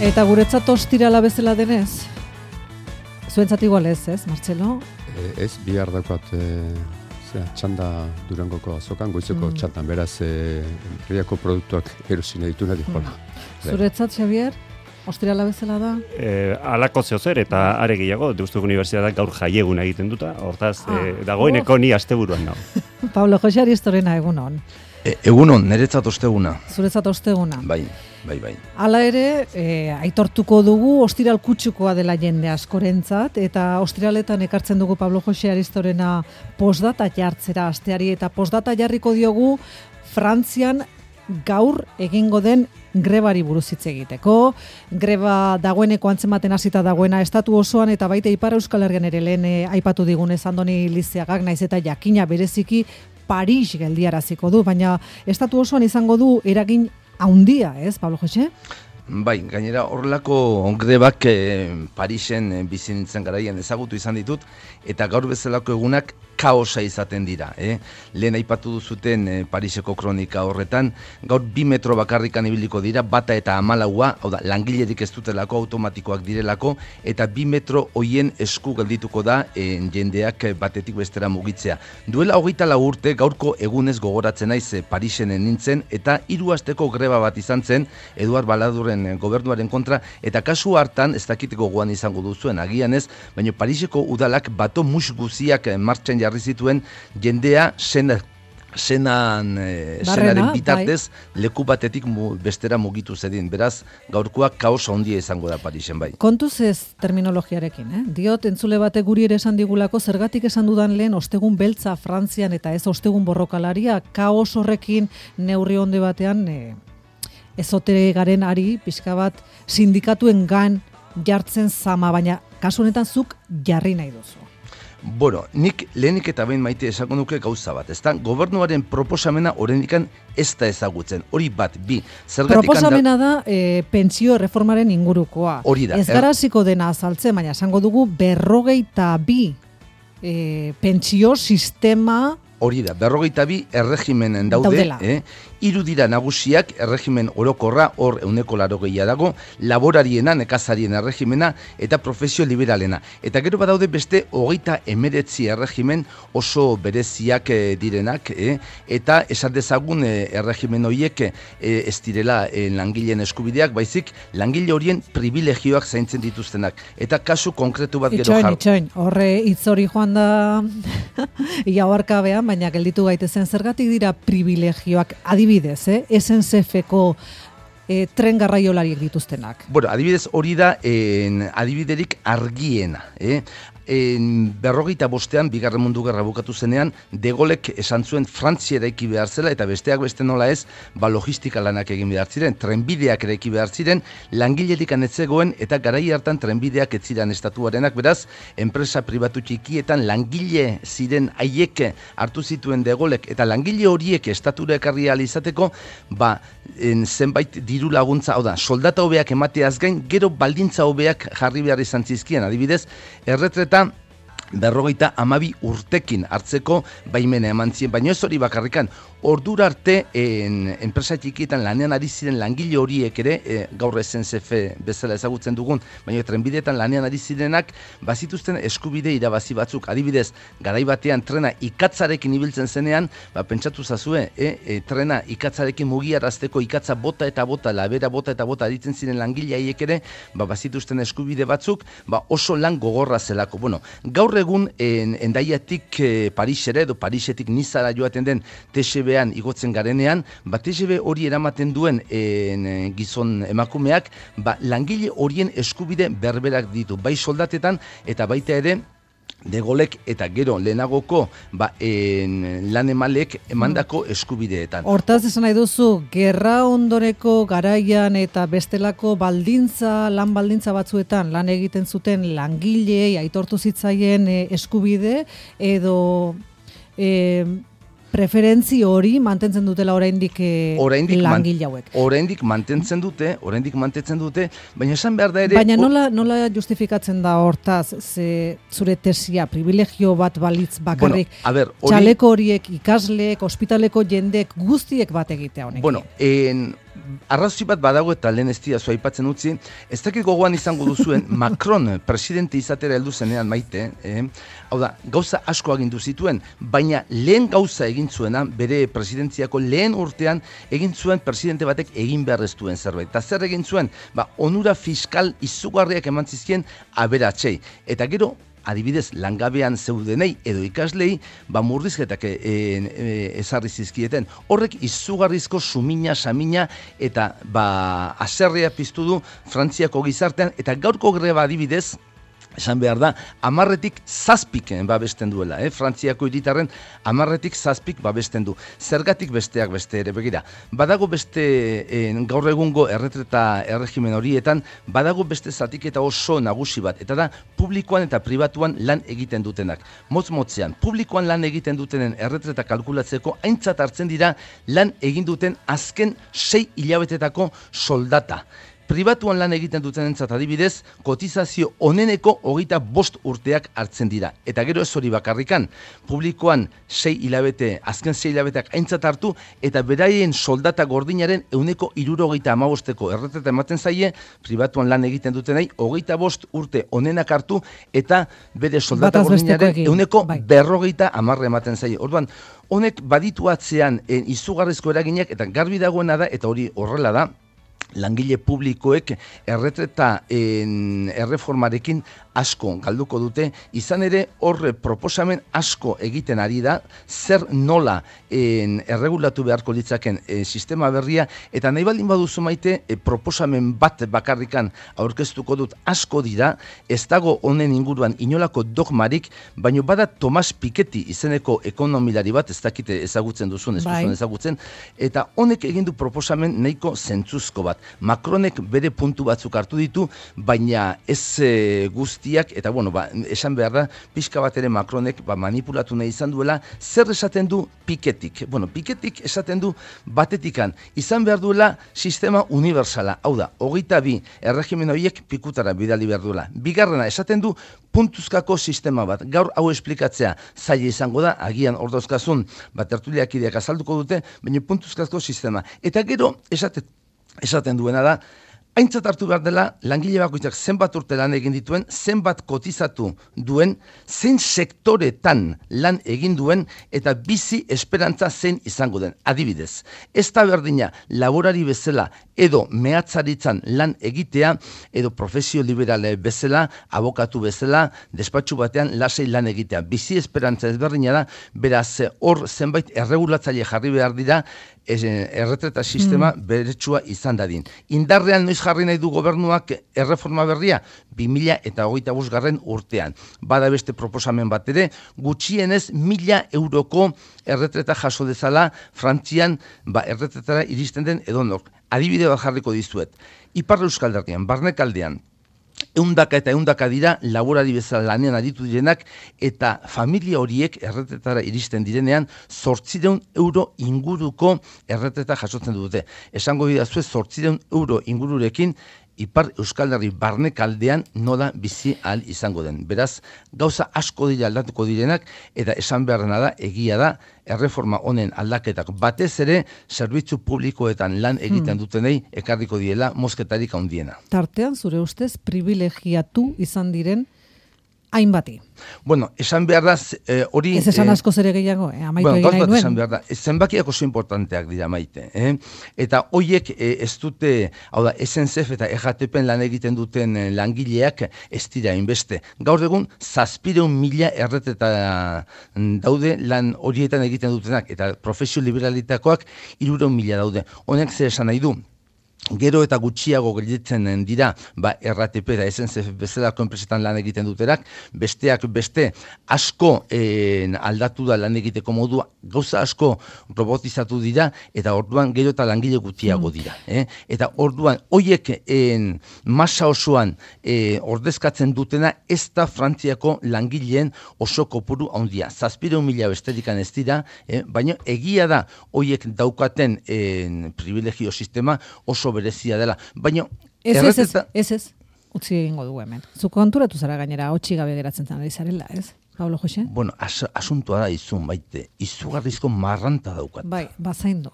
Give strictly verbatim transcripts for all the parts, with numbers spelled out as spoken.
Eta guretzat ostirala bezala denez? Zuentzat igual ez, ez, Martxelo? E, ez, bihar daukat e, zera, txanda Durangoko azokan, goizeko mm. txandan, beraz, e, herriako produktuak erosina ditu nahi jola. Mm. Zuretzat, Xavier? Ostirala bezala da? E, alako zehozer eta are gehiago, Deustuko Unibertsitateak gaur jaiegun egiten duta, hortaz, ah, e, dagoeneko oh. ni asteburuan nago. Pablo Jose Aristorena, egunon. E, egunon, niretzat osteguna. Zuretzat osteguna. Bai, bai, bai. Hala ere, e, aitortuko dugu ostiral kutsukoa dela jende askorentzat, eta ostiraletan ekartzen dugu Pablo Jose Aristorena postdata jartzera asteari, eta postdata jarriko diogu Frantzian gaur egingo den grebari buruz hitz egiteko. Greba dagoeneko antzematen hasita dagoena estatu osoan eta baita Ipar Euskal Herrian ere lehen e, aipatu digunez Andoni Lizeagak, naiz eta jakina bereziki Paris geldiaraziko du, baina estatu osoan izango du eragin handia, ez, Pablo Jose? Bai, gainera horrelako grebak eh, Parisen eh, bizi nintzen garaian ezagutu izan ditut, eta gaur bezalako egunak kaosa izaten dira. Eh? Lehen aipatu duzuten eh, Pariseko kronika horretan, gaur bi metro bakarrikan ibiliko dira, bata eta hamalaua, hau da, langilerik ez dutelako, automatikoak direlako, eta bi metro hoien esku geldituko da eh, jendeak batetik bestera mugitzea. Duela hogeita lau urte, gaurko egunez gogoratzen naiz eh, Parisen nintzen, eta hiru asteko greba bat izan zen, Eduard Baladuren gobernuaren kontra, eta kasu hartan, ez dakiteko gogoan izango duzuen, agian ez, baina Pariseko udalak bato mus guziak martxan jarri zituen jendea sena, senan, eh, senaren bitartez bai. Leku batetik mu, bestera mugitu zedin. Beraz, gaurkoak kaosa handia izango da Parisen bai. Kontuz ez terminologiarekin, eh? Diot, entzule batek guri ere esan digulako, zergatik esan dudan lehen ostegun beltza Frantzian eta ez ostegun borrokalaria, kaos horrekin neurri onde batean eh, ezotere garen ari, pixka bat, sindikatuen gan jartzen zama, baina kasu honetan zuk jarri nahi duzu. Bueno, nik lehenik eta behin maite esango nuke gauza bat, ezta? Gobernuaren proposamena oraindikan ez da ezagutzen, hori bat, bi. Zergatik proposamena da, da e, pentsio erreformaren ingurukoa. Hori da. Ez gara hasiko dena azaltzen, baina esango dugu berrogeita bi e, pentsio sistema. Hori da, berrogeita bi erregimenen daude, daudela. Eh? Hiru dira nagusiak, erregimen orokorra, hor euneko larogeia dago, laborariena, nekazarien erregimena, eta profesio liberalena. Eta gero badaude beste hogeita emeretzi erregimen oso bereziak eh, direnak, eh? Eta esan dezagun eh, erregimen horiek eh, ez direla eh, langileen eskubideak, baizik langile horien privilegioak zaintzen dituztenak. Eta kasu konkretu bat gero jar. Itxoin, horre hitz hori joan da iabarkabean, baina gelditu gaitezen zergatik dira privilegioak adibidez, eh? S N C F-ko eh, tren garraiolariek dituztenak. Bueno, adibidez hori da en, adibiderik argiena, eh? En, berrogeita bostean, bigarren mundu gerra bukatu zenean, De Gaulek esan zuen Frantzia eraiki behar zela, eta besteak beste nola ez, ba logistika lanak egin behar ziren, trenbideak eraiki behar ziren, langilerik anetzegoen, eta garai hartan trenbideak ez ziren estatuarenak, beraz, enpresa pribatu txikietan langile ziren haiek hartu zituen De Gaulek, eta langile horiek estatura ekarri ahal izateko, ba, en, zenbait diru laguntza, hau da, soldata hobeak emateaz gain, gero baldintza hobeak jarri behar izan zizkien, adibidez, erretreta berrogeita amabi urtekin hartzeko baimena eman zien, baina ez hori bakarrikan, ordura arte en, enpresa txikietan lanean ari ziren langile horiek ere, e, gaur S N C F bezala ezagutzen dugun, baina trenbideetan lanean ari zirenak, bazituzten eskubide irabazi batzuk, adibidez, garai batean trena ikatzarekin ibiltzen zenean, ba, pentsatu zazue, e, e, trena ikatzarekin mugiarazteko ikatza bota eta bota, labera bota eta bota aritzen ziren langile haiek ere, ba, bazituzten eskubide batzuk, ba, oso lan gogorra zelako. Bueno, gaur egun en, endaiatik e, Parisera edo Parisetik Nizara joaten den T G V-an igotzen garenean, ba T G V hori eramaten duen en, gizon emakumeak, ba langile horien eskubide berberak ditu, bai soldatetan eta baita ere De Gaulek eta gero lehenagoko ba, en, lan emalek emandako eskubideetan. Hortaz esan nahi duzu, gerra ondoreko garaian eta bestelako baldintza, lan baldintza batzuetan lan egiten zuten langilei aitortu zitzaien eh, eskubide edo eh, preferentzi hori mantentzen dutela oraindik eh, langile hauek. Oraindik mantentzen dute, oraindik mantentzen dute, baina esan behar da ere... Baina nola, nola justifikatzen da hortaz, ze zure tesia, privilegio bat balitz bakarrik, bueno, a ver, hori... txaleko horiek, ikasleek, ospitaleko jendek, guztiek bat egitea honekin. Bueno, en... arrazoi bat badago eta lehen ez diazu aipatzen utzi, ez dakit gogoan izango duzuen Macron presidente izatera heldu zenean Maite, eh? Hau da, gauza asko agindu zituen, baina lehen gauza egin zuena, bere presidentziako lehen urtean egin zuen presidente batek egin behar ez duen zerbait. Eta zer egin zuen? Ba, onura fiskal izugarriak eman zizkien aberatsei. Eta gero, adibidez, langabean zeudenei edo ikaslei, ba murrizketak e, e, ezarri zizkieten. Horrek izugarrizko sumina, samina eta ba aserrea piztu du Frantziako gizartean, eta gaurko greba adibidez, esan behar da, amarretik zazpik babesten duela, eh? Frantziako hiritarren amarretik zazpik babesten du. Zergatik besteak beste ere, begira. Badago beste, eh, gaur egungo erretreta erregimen horietan, badago beste zatiketa oso nagusi bat, eta da, publikoan eta pribatuan lan egiten dutenak. Motz-motzean, publikoan lan egiten dutenen erretreta kalkulatzeko aintzat hartzen dira lan egin duten azken sei hilabetetako soldata. Pribatuan lan egiten duten entzat adibidez, kotizazio oneneko hogeita bost urteak hartzen dira. Eta gero ez hori bakarrikan, publikoan sei hilabete, azken sei hilabeteak aintzat hartu, eta beraien soldata gordinaren euneko hirurogeita hamabosteko erretreta ematen zaie, pribatuan lan egiten dutenei, hogeita bost urte onenak hartu, eta bere soldata gordinaren euneko berrogeita hamarre ematen zaie. Orduan, honek baditu atzean en, izugarrizko eraginak, eta garbi dagoena da, eta hori horrela da, langile publikoek erretreta erreformarekin asko galduko dute, izan ere horre proposamen asko egiten ari da, zer nola en, erregulatu beharko ditzaken e, sistema berria, eta nahi baldin baduzu Maite, e, proposamen bat bakarrikan aurkeztuko dut asko dira, ez dago honen inguruan inolako dogmarik, baino bada Tomas Piketty izeneko ekonomilari bat, ez dakite ezagutzen duzun, ez duzun ezagutzen, eta honek egin du proposamen nahiko zentzuzko bat. Macronek bere puntu batzuk hartu ditu, baina ez e, guztiak, eta bueno, ba, esan behar da, pixka bat ere Macronek ba, manipulatu nahi izan duela, zer esaten du Pikettyk? Bueno, Pikettyk esaten du batetikan, izan behar duela sistema universala, hau da, hogeita bi erregimen horiek pikutara bidali behar duela. Bigarrena, esaten du puntuzkako sistema bat, gaur hau esplikatzea zaila izango da, agian ordauzkazun, bat tertuliak ideak azalduko dute, baina puntuzkako sistema. Eta gero, esaten Esaten duena da, aintzat hartu behar dela, langile bakoitzak zenbat urte lan egin dituen, zenbat kotizatu duen, zein sektoretan lan egin duen, eta bizi esperantza zein izango den. Adibidez, ez da berdina laborari bezala edo mehatzaritzan lan egitea, edo profesio liberale bezala, abokatu bezala, despatxu batean lasei lan egitea. Bizi esperantza ezberdina da, beraz hor zenbait erregulatzaile jarri behar dira, erretreta sistema mm. beretsua izan dadin. Indarrean noiz jarri nahi du gobernuak erreforma berria? bi mila eta hogeita bost garren urtean. Bada beste proposamen bat ere, gutxienez mila euroko erretreta jaso dezala Frantzian ba, erretretara iristen den edonok. Adibide bat jarriko dizuet. Ipar Euskal Herrian, Barnekaldean, eundaka eta eundaka dira laborari bezala lanean aritu direnak, eta familia horiek erretetara iristen direnean zortziehun euro inguruko erreteta jasotzen dute. Esango didazue zortziehun euro ingururekin Ipar Euskal Herri Barnekaldean nola bizi ahal izango den. Beraz, gauza asko dira aldatuko direnak, eta esan beharrena da, egia da, erreforma honen aldaketak batez ere, zerbitzu publikoetan lan egiten dutenei ekarriko diela mosketarik handiena. Tartean, zure ustez, privilegiatu izan diren hainbati. Bueno, esan behar da, hori... Ez esan asko zere gehiago, eh? Amaitu bueno, egin nahi nuen. Esan behar da, zenbakiak oso importanteak dira Maite. Eh? Eta hoiek eh, ez dute, hau da, S N C F eta E J T P lan egiten duten langileak ez dira inbeste. Gaur egun, zazpireun mila erreteta daude lan horietan egiten dutenak, eta profesio liberalitakoak hirureun mila daude. Honek zer esan nahi du? Gero eta gutxiago gelditzen dira, ba, R T P eta S N C F bezalako enpresetan lan egiten duterak, besteak beste asko en, aldatu da lan egiteko modua, gauza asko robotizatu dira, eta orduan gero eta langile gutxiago dira. Eh? Eta orduan, hoiek en, masa osoan eh, ordezkatzen dutena, ez da Frantziako langileen oso kopuru handia. Zazpireun mila besterikan ez dira, eh? Baina egia da, hoiek daukaten en, privilegio sistema oso berezia dela, baina... Ez, ez, ez, ez, ez, utzi egingo dugu hemen. Zuko konturatu zara gainera, hotxi gabe geratzen zan ari zarela, ez? Pablo Jose? Bueno, as, asuntua da izun, Maite, izugarrizko marranta daukat. Bai, bazaindo.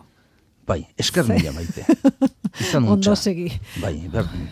Bai, esker mila, Maite. Izan Ondo segi. Bai, berdin.